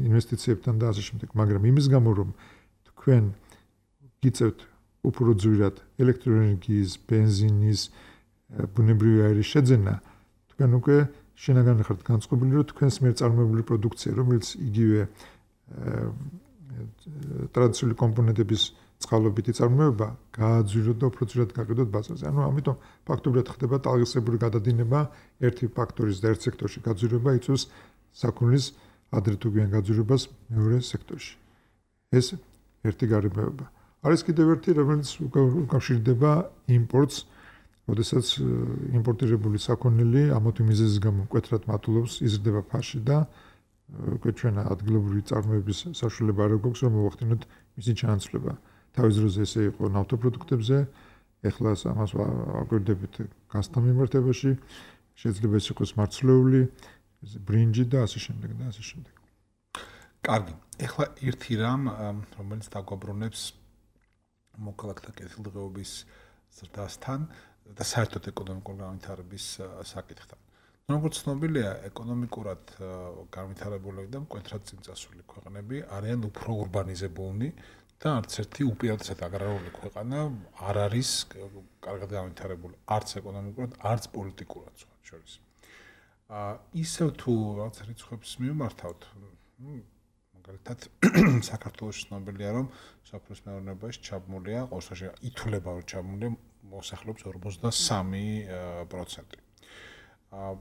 Speaker 4: ინვესტიციებთან და ასე შემდეგ, მაგრამ იმის გამო რომ თქვენ გიწევთ უფრო ძვირად ელექტროენერგიის, ბენზინის, ბუნებრივი აირის შეძენა, თქვენ უკვე შინაგან ხართ განწყობილი, რომ თქვენს მიერ წარმოებული პროდუქცია, რომელიც იგივე ტრადიციული კომპონენტების წყალობით იწარმოება, გააძვიროთ და უფრო ძვირად გაყიდოთ ბაზარზე. ანუ ამიტომ ფაქტობრივად ხდება ტალღისებური გადადინება, ერთი ფაქტორის და ერთ სექტორში გაძვირება იწვევს საქონლის ადრე თუ გვიან გაძვირებას მეორე სექტორში. ეს ერთი გარემოება. არის კიდევ ერთი, რომელიც უკავშირდება იმპორტს, როდესაც იმპორტირებული საქონელი ამოთი მიზეზის გამო მკვეთრად მატულობს, იზრდება ფასში და უკვე ჩვენ ადგილობრივი წარმოების საშუალება არ გვაქვს, რომ მოვახდინოთ მისი ჩანაცვლება. თავის დროზე ესე იყო ნავთობპროდუქტებზე, ეხლა ამას აკვირდებით გაზთან მიმართებაში, შეიძლება ეს იყოს მარცვლეული, ბრინჯი და ასე შემდეგ და ასე შემდეგ.
Speaker 2: კარგი. ეხლა ერთი რამ, რომელიც დაგვაბრუნებს მოქალაქეთა კეთილდღეობის ზრდასთან და საერთოდ ეკონომიკური განვითარების საკითხთან. როგორც ცნობილია, ეკონომიკურად განვითარებული და მკვეთრად წინწასული ქვეყნები არიან უფრო урბანიზებულნი და არც ერთი უპირატესად აგრარული ქვეყანა არ არის კარგად განვითარებული, არც ეკონომიკურად, არც პოლიტიკურად შორის. აა ისევ თუ რაღაც რიცხვებს მივმართავთ, მაგალითად საქართველოს ცნობილია, რომ საფრთხის მეურნეობაში ჩაბმულია, ყოველშაბათი ითვლება, რომ ჩაბმულია მოსახლეობის ორმოცდასამი პროცენტი. აა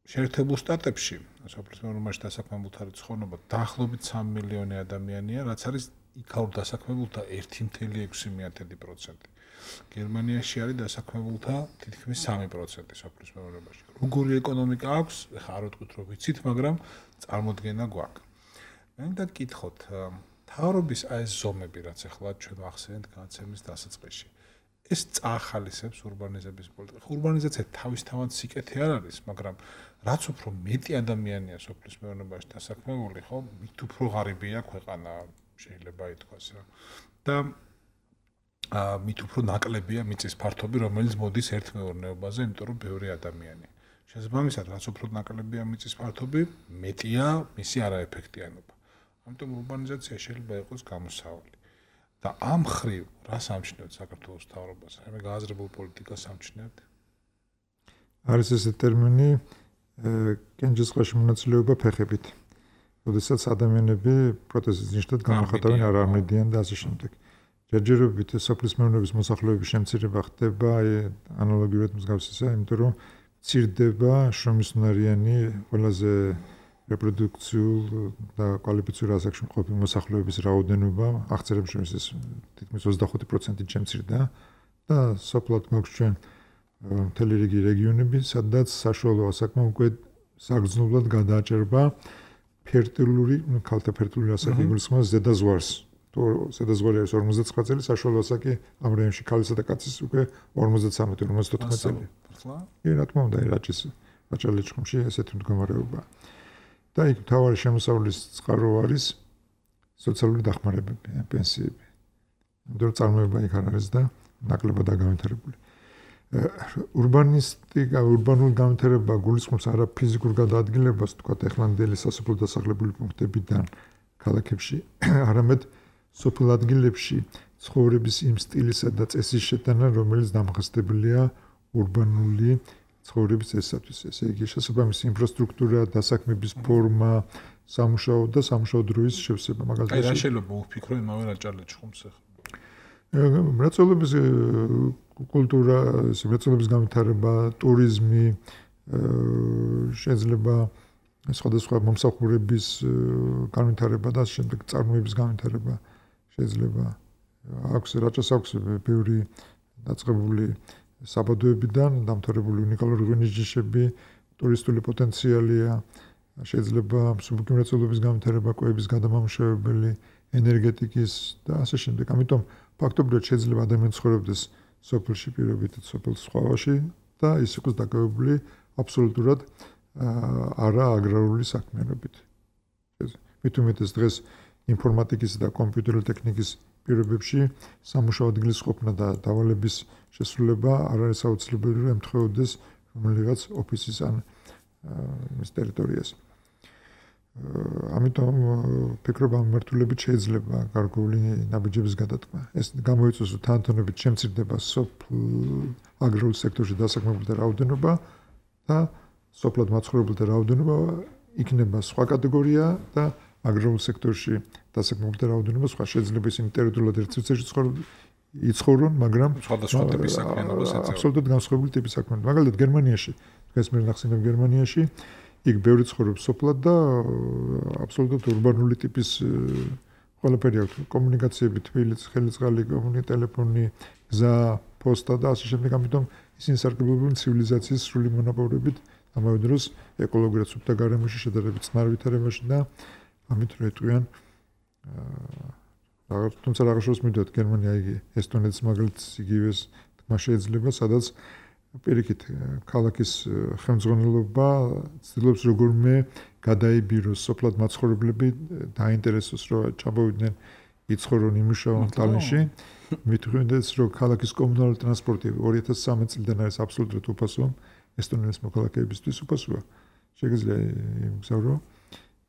Speaker 2: შეერთებულ შტატებში საფრთხის მეურნეობაში დასაქმებულთა რიცხოვნობა დაახლოებით სამი მილიონი ადამიანია, რაც არის იქაურ დასაქმებულთა ერთი კoma ექვსი პროცენტი. გერმანიაში არის დასაქმებულთა თითქმის სამი პროცენტი საფრთხის მეურნეობაში. როგორი ეკონომიკა აქვს, ეხლა არ ვიტყვით რომ ვიცით, მაგრამ წარმოდგენა გვაქვს. მე მინდა გკითხოთ, მთავრობის აი ეს ზომები, რაც ეხლა ჩვენ ვახსენეთ განაცემის დასაწყისში. ეს წაახალისებს урბანიზების პოლიტიკას. урბანიზაცია თავისთავად სიკეთე არ არის, მაგრამ რაც უფრო მეტი ადამიანია სოფლის მეურნეობაში დასაქმებული, ხო, მით უფრო ღარიბია ქვეყანა, შეიძლება ითქვას რა. და აა მით უფრო ნაკლებია მიწის ფართობი, რომელიც მოდის ერთ მეურნეობაზე, იმიტომ რომ ბევრი ადამიანია. შესაბამისად, რაც უფრო ნაკლებია მიწის ფართობი, მეტია მისი არაეფექტიანობა. ამიტომ урბანიზაცია შეიძლება იყოს გამოსავალი. და ამ ხრივ რას ამჩნევთ საქართველოს მთავრობას? მე გააზრებულ პოლიტიკას ამჩნევთ?
Speaker 4: არის ესე ტერმინი კენჭისყრაში მონაწილეობა ფეხებით. როდესაც ადამიანები პროტესტის ნიშნად განახატავენ არ ამედიან და ასე შემდეგ. ჯერჯერობით სოფლის მეურნეობის მოსახლეობის შემცირება ხდება ანალოგიურად მსგავსისა, იმიტომ რომ მცირდება შრომისუნარიანი ყველაზე რეპროდუქციულ და კვალიფიციური ასაკში მყოფი მოსახლეობის რაოდენობა აღწერებს შორის ეს თითქმის ოცდახუთი პროცენტით შემცირდა და სოფლად გვაქვს ჩვენ მთელი რიგი რეგიონები, სადაც საშუალო ასაკმა უკვე საგრძნობლად გადააჭერბა ფერტილური, ქალთა ფერტილური ასაკი გულისხმობს ზედაზღვარს. თუ ზედაზღვარი არის ორმოცდაცხრა წელი, საშუალო ასაკი ამ რაიონში ქალისა და კაცის უკვე ორმოცდათვრამეტი ორმოცდაოთხმეტი წელი. კი, რა თქმა უნდა, რაჭის რაჭა-ლეჩხუმში ესეთი მდგომარეობაა. და იქ მთავარი შემოსავლის წყარო არის სოციალური დახმარებები, პენსიები. იმიტომ რომ წარმოება იქ არ არის და ნაკლებად განვითარებული. урბანისტიკა, урბანული განვითარება გულისხმობს არა ფიზიკურ გადაადგილებას, თქვათ ეხლანდელი სასოფლო დასახლებული პუნქტებიდან ქალაქებში, არამედ სოფელ ადგილებში ცხოვრების იმ სტილისა და წესის შეტანა, რომელიც დამახასდებელია урბანული ცხოვრების წესისათვის. ესე იგი, შესაბამისი ინფრასტრუქტურა, დასაქმების ფორმა, სამუშაო და სამუშაო დროის შევსება, მაგალითად.
Speaker 2: აი, რა შეიძლება ვფიქრო იმავე რაჭა-ლეჩხუმს ახლა?
Speaker 4: მრეწველობის კულტურა, მრეწველობის განვითარება, ტურიზმი, შეიძლება სხვადასხვა მომსახურების განვითარება და შემდეგ წარმოების განვითარება შეიძლება. აქვს რაჭას აქვს ბევრი დაწყებული საბადოებიდან დამთავრებული უნიკალური ღვინის ჯიშები, ტურისტული პოტენციალია, შეიძლება მსუბუქი მრეწველობის განვითარება, კვების გადამამუშავებელი, ენერგეტიკის და ასე შემდეგ. ამიტომ ფაქტობრივად შეიძლება ადამიანი ცხოვრობდეს სოფელში პირობით სოფლის სხვავაში და ის იყოს დაკავებული აბსოლუტურად არა აგრარული საქმიანობით. მით უმეტეს დღეს ინფორმატიკის და კომპიუტერული ტექნიკის პირობებში სამუშაო ადგილის ყოფნა და დავალების შესრულება არ არის აუცილებელი, რომ ემთხვეოდეს რომელიღაც ოფისის ან მის ტერიტორიაზე. ამიტომ ფიქრობ ამ მიმართულებით შეიძლება გარკვეული ნაბიჯების გადატანა. ეს გამოიწვევს, რომ თანათონებით შემცირდება სოფლ აგრარულ სექტორში დასაქმებულთა რაოდენობა და სოფლად მაცხოვრებელთა რაოდენობა იქნება სხვა კატეგორია და აგრარულ სექტორში დასაქმებულთა რაოდენობა სხვა. შეიძლება ისინი ტერიტორიულად ერთ სივრცეში იცხოვრონ, მაგრამ
Speaker 2: სხვადასხვა ტიპის საქმიანობას ეწევა.
Speaker 4: აბსოლუტურად განსხვავებული ტიპის საქმიანობა. მაგალითად გერმანიაში, დღეს მე ნახსენებ გერმანიაში იქ ბევრი ცხოვრობს სოფლად და აბსოლუტურად ურბანული ტიპის ყველაფერი აქვს. კომუნიკაციები, თბილისი, ხელისწყალი, კომუნიკაცია, ტელეფონი, გზა, პოსტა და ასე შემდეგ. ამიტომ ისინი სარგებლობენ ცივილიზაციის სრული მონაპოვრებით, ამავე დროს ეკოლოგიურად სუფთა გარემოში შედარებით წყნარ ვითარებაში და ამით რო ეტყვიან აა თუმცა რაღაც დროს მივიდოდ გერმანია იგი ესტონეთის მაგალითს იგივეს თქმა შეიძლება, სადაც პირიქით ქალაქის ხელმძღვანელობა ცდილობს როგორმე გადაიბიროს სოფლად მაცხოვრებლები დაინტერესოს რომ ჩამოვიდნენ იცხოვრონ იმუშაონ ტალინში. მithundes რომ ქალაქის კომუნალური ტრანსპორტი ორი ათას სამი წლიდან არის აბსოლუტურად უფასო ესტონეთის მოქალაქეებისთვის უფასოა. შეგიძლია იმგზავრო,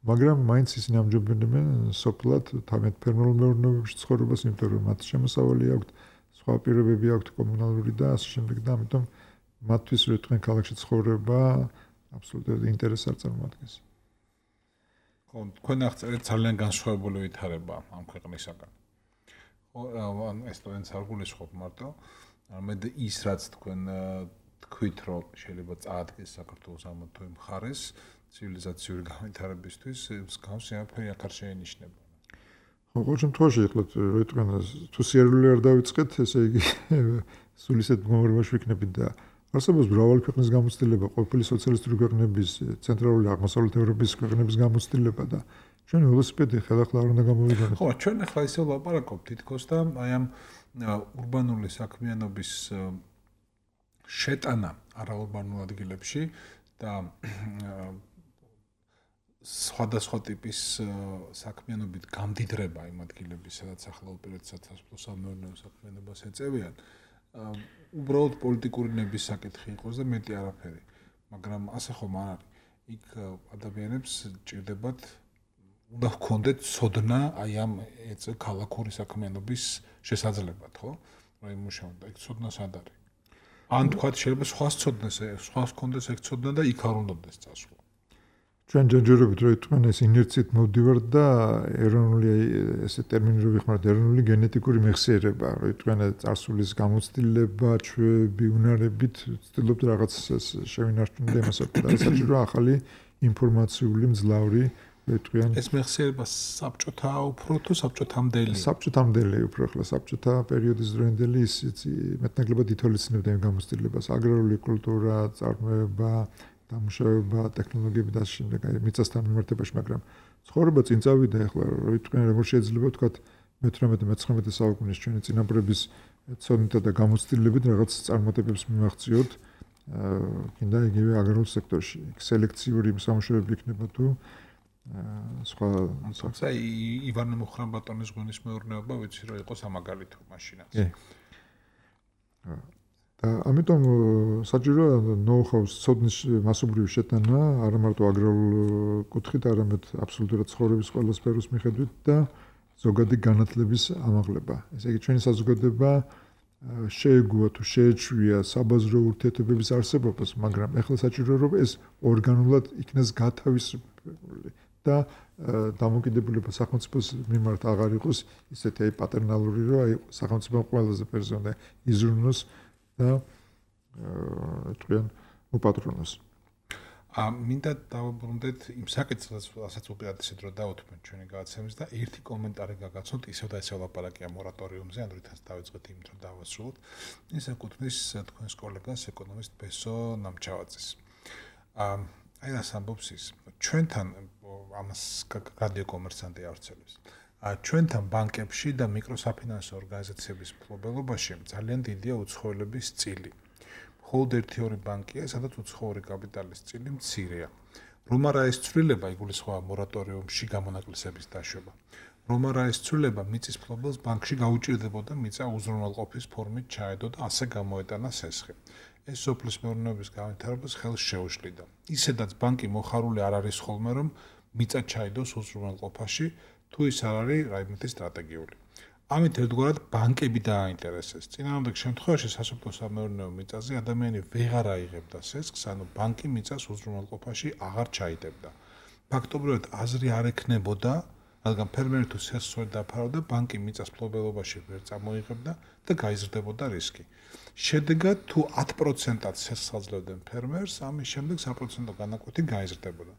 Speaker 4: მაგრამ მაინც ისინი ამჯობინებენ სოფლად თავიანთ ფერმერულ მეურნეობებში ცხოვრებას, იმიტომ რომ მათ შემოსავალი აქვთ, სხვა პირობები აქვთ კომუნალური და ასე შემდეგ და ამიტომ მათთვის რო თქვენ ქალაქში ცხოვრება აბსოლუტურად ინტერესს არ წარმოადგენს.
Speaker 2: ხო, თქვენ აღწერეთ ძალიან განსხვავებული ვითარება ამ ქვეყნისაგან. ხო, ესტონეთს არ გულისხმობ მარტო, არამედ ის რაც თქვენ თქვით, რომ შეიძლება წაადგეს საქართველოს ამ თუ იმ მხარეს ცივილიზაციური განვითარებისთვის, მსგავსი არაფერი აქ არ შეენიშნება.
Speaker 4: ხო, ყოველ შემთხვევაში ეხლა რო თქვენ თუ სიარული არ დავიწყეთ, ესე იგი სულ ისეთ მდგომარეობაში ვიქნებით და არსებობს მრავალი ქვეყნის გამოცდილება, ყოფილი სოციალისტური ქვეყნების, ცენტრალური აღმოსავლეთ ევროპის ქვეყნების გამოცდილება და ჩვენ ველოსიპედი ხელახლა არ უნდა გამოვიგვანოთ.
Speaker 2: ხო, ჩვენ ახლა ისე ვლაპარაკობთ თითქოს და აი ამ ურბანული საქმიანობის შეტანა არაურბანულ ადგილებში და სხვადასხვა ტიპის საქმიანობით გამდიდრება იმ ადგილების, სადაც ახლა უპირატესად სასოფლო-სამეურნეო საქმიანობას ეწევიან. უბრალოდ პოლიტიკური ნების საკითხი იყოს და მეტი არაფერი. მაგრამ ასე ხომ არ არის. იქ ადამიანებს ჭირდებათ უნდა ჰქონდეთ ცოდნა აი ამ ქალაქური საქმიანობის შესაძლებლად, ხო? რა იმუშაონ და იქ ცოდნა სად არის? ან თქვათ შეიძლება სხვა ცოდნას, სხვა ჰქონდეს ეგ ცოდნა და იქ არ უნდადეს წასვლა.
Speaker 4: ჩვენ ჯერჯერობით რო იტყვენ ეს ინერციით მოვდივართ და ეროვნული ესე ტერმინი რო ვიხმართ ეროვნული გენეტიკური მეხსიერება, რო იტყვენ წარსულის გამოცდილება, ჩვევები, უნარებით, ვცდილობთ რაღაც შევინარჩუნოთ იმასაც და საჭირო ახალი ინფორმაციული მძლავრი რო იტყვენ
Speaker 2: ეს მეხსიერება საბჭოთა უფრო თუ საბჭოთამდელი?
Speaker 4: საბჭოთამდელი უფრო ახლა საბჭოთა პერიოდის დროინდელი ის მეტნაკლებად ითვალისწინებდა იმ გამოცდილებას, აგრარული კულტურა, წარმოება დამუშავება, ტექნოლოგიები და ასე შემდეგ, აი მიწასთან მიმართებაში, მაგრამ ცხოვრება წინ წავიდა ახლა, რო ვიტყვენ, როგორ შეიძლება ვთქვათ მეთვრამეტე მეცხრამეტე საუკუნის ჩვენი წინაპრების ცოდნითა და გამოცდილებით რაღაც წარმატებებს მიმაღწიოთ, კიდე იგივე აგრარულ სექტორში. სელექციური სამუშაოები იქნება თუ სხვა
Speaker 2: თუმცა ივანე მუხრან-ბატონის ღვინის მეურნეობა ვიცი რომ იყო სამაგალითო მაშინაც.
Speaker 4: და ამიტომ საჭიროა ნოუ-ჰაუს ცოდნის მასობრივი შეტანა არა მარტო აგრარულ კუთხით, არამედ აბსოლუტურად ცხოვრების ყველა სფეროს მიხედვით და ზოგადი განათლების ამაღლება. ესე იგი ჩვენი საზოგადოება შეეგუა თუ შეეჩვია საბაზრო ურთიერთობების არსებობას, მაგრამ ეხლა საჭიროა რომ ეს ორგანულად იქნას გათავისუფლებული და დამოკიდებულება სახელმწიფოს მიმართ აღარ იყოს ისეთი აი პატერნალური, რომ აი სახელმწიფო ყველაზე პერსონალ იზრუნოს და თქვენ უპატრონოს.
Speaker 2: ა მინდა დავუბრუნდეთ იმ საკითხს, რასაც უპირატესად რო დავუთმენ ჩვენი გადაცემის და ერთი კომენტარი გაგაცნოთ, ისევ და ისევ ლაპარაკია მორატორიუმზე, ან რითაც დავიწყეთ იმით რომ დავასრულოთ. ის ეკუთვნის თქვენს კოლეგას ეკონომისტ ბესო ნამჩავაძეს. ა აი რას ამბობს ის. ჩვენთან ამას რადიო კომერსანტი ავრცელებს. ჩვენთან ბანკებში და მიკროსაფინანსო ორგანიზაციების მფლობელობაში ძალიან დიდია უცხოელების წილი. მხოლოდ ერთი-ორი ბანკია, სადაც უცხოური კაპიტალის წილი მცირეა. რომ არა ეს ცვლილება იგულისხმება მორატორიუმში გამონაკლისების დაშვება. რომ არა ეს ცვლილება მიწის მფლობელს ბანკში გაუჭირდებოდა მიწა უზრუნველყოფის ფორმით ჩაედო და ასე გამოეტანა სესხი. ეს სოფლის მეურნეობის განვითარებას ხელს შეუშლიდა. ისედაც ბანკი მოხარული არ არის ხოლმე რომ მიწა ჩაედოს უზრუნველყოფაში, თუ ის არ არის რაიმე სტრატეგიული. ამით ერთგვარად ბანკები დააინტერესეს. წინააღმდეგ შემთხვევაში სასოფლო სამეურნეო მიწაზე ადამიანი ვეღარ აიღებდა სესხს, ანუ ბანკი მიწას უზრუნველყოფაში აღარ ჩაიდებდა. ფაქტობრივად აზრი არ ექნებოდა, რადგან ფერმერი თუ სესხს ვერ დაფარავდა, ბანკი მიწას მფლობელობაში ვერ წამოიღებდა და გაიზრდებოდა რისკი. შედეგად თუ ათ პროცენტად სესხს აძლევდნენ ფერმერს, ამის შემდეგ საპროცენტო განაკვეთი გაიზრდებოდა.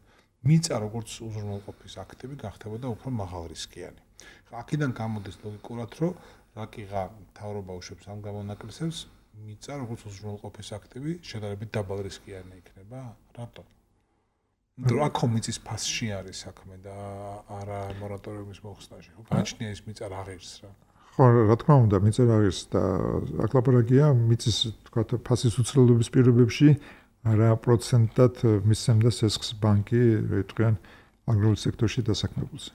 Speaker 2: მიწა როგორც უზრუნველყოფის აქტივი გახდებოდა უფრო მაღალრისკიანი. აქედან გამოდის ლოგიკურად, რომ რაკიღა მთავრობა უშვებს ამ გამონაკლისებს, მიწა როგორც უზრუნველყოფის აქტივი შედარებით დაბალრისკიანი იქნება. რატო? რა ხო მიწის ფასში არის საქმე და არა მორატორიუმის მოხსნაში. გააჩნია ის მიწა რა ღირს რა.
Speaker 4: ხო, რა თქმა უნდა, მიწა რა ღირს და აქ ლაპარაკია მიწის თქვა ფასის უცვლელობის პირობებში რა პროცენტად მისცემდა სესხს ბანკი, როიტყვიან აგრარულ სექტორში დასაქმებულზე.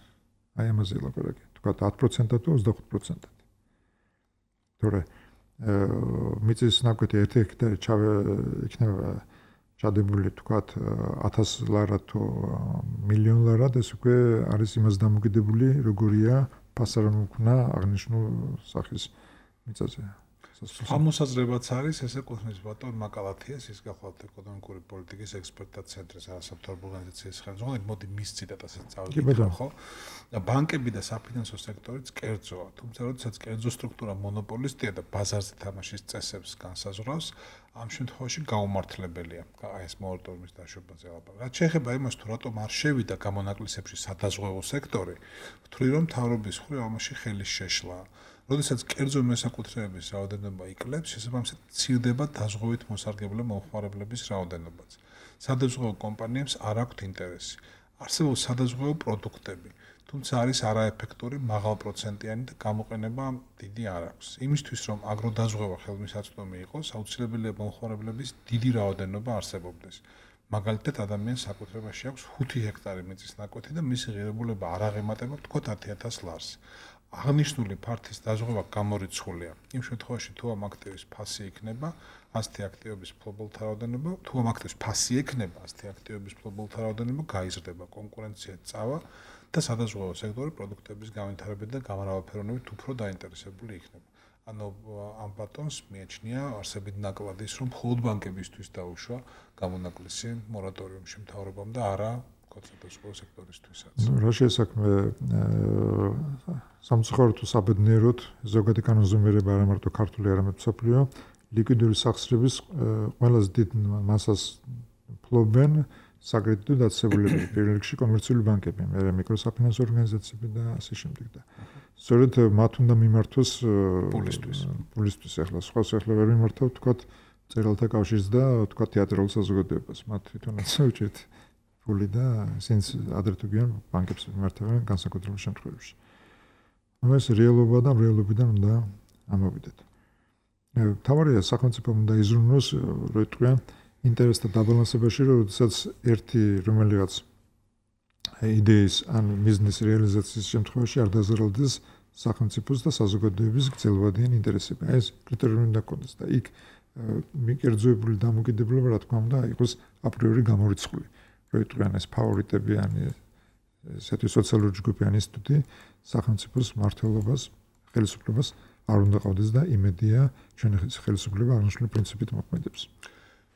Speaker 4: აი ამაზე ლაპარაკია. თქვა ათ პროცენტად თუ ოცდახუთ პროცენტად. თორე მიწის ნაკვეთი ერთი ჰექტარი იქნება ჩადებული თქვათ ათას ლარად თუ მილიონ ლარად, ეს უკვე არის იმას დამოკიდებული, როგორია ფასარამოქმნა აღნიშნულ სახის მიწაზე.
Speaker 2: ამ მოსაზრებაც არის, ეს ეკუთვნის ბატონ მაკალათიას, ის გახლავთ ეკონომიკური პოლიტიკის ექსპერტთა ცენტრის არასამთავრობო ორგანიზაციის ხელმძღვანელი, მოდი მის ციტატასაც წავიკითხო, ხო? და ბანკები და საფინანსო სექტორიც კერძოა, თუმცა როდესაც კერძო სტრუქტურა მონოპოლისტია და ბაზარზე თამაშის წესებს განსაზღვრავს, ამ შემთხვევაში გაუმართლებელია აი ეს მორატორიუმის დაშვებაზე ლაპარაკი. რაც შეეხება იმას, თუ რატომ არ შევიდა გამონაკლისებში სადაზღვევო სექტორი, ვთვლი რომ მთავრობის მხრივ ამაში ხელის შეშლა. როდესაც კერძო მესაკუთრეების რაოდენობა იკლებს, შესაბამისად მცირდება დაზღვევით მოსარგებლე მომხმარებლების რაოდენობაც. სადაზღვევო კომპანიებს არ აქვთ ინტერესი. არსებობს სადაზღვევო პროდუქტები, თუმცა არის არაეფექტური, მაღალპროცენტიანი და გამოყენება დიდი არ აქვს. იმისთვის, რომ აგროდაზღვევა ხელმისაწვდომი იყოს, აუცილებელია მომხმარებლების დიდი რაოდენობა არსებობდეს. მაგალითად, ადამიანს საკუთრებაში აქვს ხუთი ჰექტარი მიწის ნაკვეთი და მისი ღირებულება არ აღემატება თქო ათი ათას ლარს. აღნიშნული ფართის დაზღვევა გამორიცხულია. იმ შემთხვევაში, თუ ამ აქტივის ფასი იქნება, ასეთი აქტივების მფლობელთა რაოდენობა, თუ ამ აქტივის ფასი ექნება, ასეთი აქტივების მფლობელთა რაოდენობა გაიზრდება, კონკურენცია წავა და სადაზღვევო სექტორი პროდუქტების განვითარებით და გამრავალფეროვნებით უფრო დაინტერესებული იქნება. ანუ ამ ბატონს მიაჩნია არსებით ნაკლებიც, რომ მხოლოდ ბანკებისთვის დაუშვა გამონაკლისი მორატორიუმში მთავრობამ და არა სადაზღვევო სექტორისთვისაც.
Speaker 4: რა შესაქმე სამწუხაროდ თუ საბედნიეროდ ზოგადი კანონზომიერება არა მარტო ქართული, არამედ მსოფლიო ლიკვიდური სახსრების ყველაზე დიდ მასას ფლობენ საკრედიტო დაწესებულებები, პირველ რიგში კომერციული ბანკები, მერე მიკროსაფინანსო ორგანიზაციები და ასე შემდეგ და სწორედ მათ უნდა მიმართოს
Speaker 2: პულისთვის.
Speaker 4: პულისთვის ახლა სხვა ახლა ვერ მიმართავ თქვათ წერალთა კავშირს და თქვათ თეატრალურ საზოგადოებას. მათ თვითონაც უჭერთ ფული და სინც ადრე თუ გიან ბანკებს მიმართავენ განსაკუთრებულ შემთხვევებში. ანუ ეს რეალობა და რეალობიდან უნდა ამოვიდეთ. თავარია სახელმწიფომ უნდა იზრუნოს, როიტყვიან ინტერესთა დაბალანსებაში, როდესაც ერთი რომელიღაც იდეის ან ბიზნეს რეალიზაციის შემთხვევაში არ დაზარალდეს სახელმწიფოს და საზოგადოების გრძელვადიანი ინტერესები. ეს კრიტერიუმი უნდა გქონდეს და იქ მიკერძოებული დამოკიდებულება, რა თქმა უნდა, იყოს აპრიორი გამორიცხული. როიტყვიან ეს ფავორიტები ან ესეთი სოციალური ჯგუფი ან ინსტიტუტი სახელმწიფოს მმართველობას, ხელისუფლებას არ უნდა ყავდეს და იმედია ჩვენი ხელისუფლება აღნიშნული პრინციპით მოქმედებს.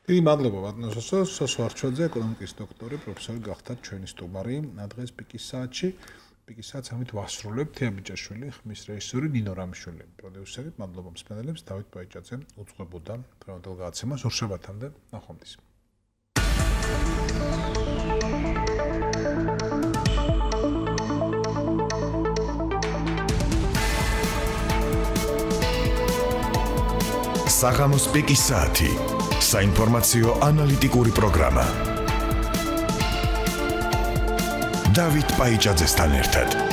Speaker 2: დიდი მადლობა ბატონო სოსო, სოსო არჩვაძე, ეკონომიკის დოქტორი, პროფესორი გახდათ ჩვენი სტუმარი დღეს პიკის საათში. პიკის საათს ამით ვასრულებთ. თეა ბიჭაშვილი, ხმის რეჟისორი, ნინო რამიშვილი, პროდიუსერი. მადლობა მსმენელებს, დავით ბაიჭაძე უძღვებოდა დღევანდელ გადაცემას. ორშაბათამდე ნახვამდის.
Speaker 1: საღამოს პიკის საათი. საინფორმაციო ანალიტიკური პროგრამა. დავით პაიჭაძესთან ერთად.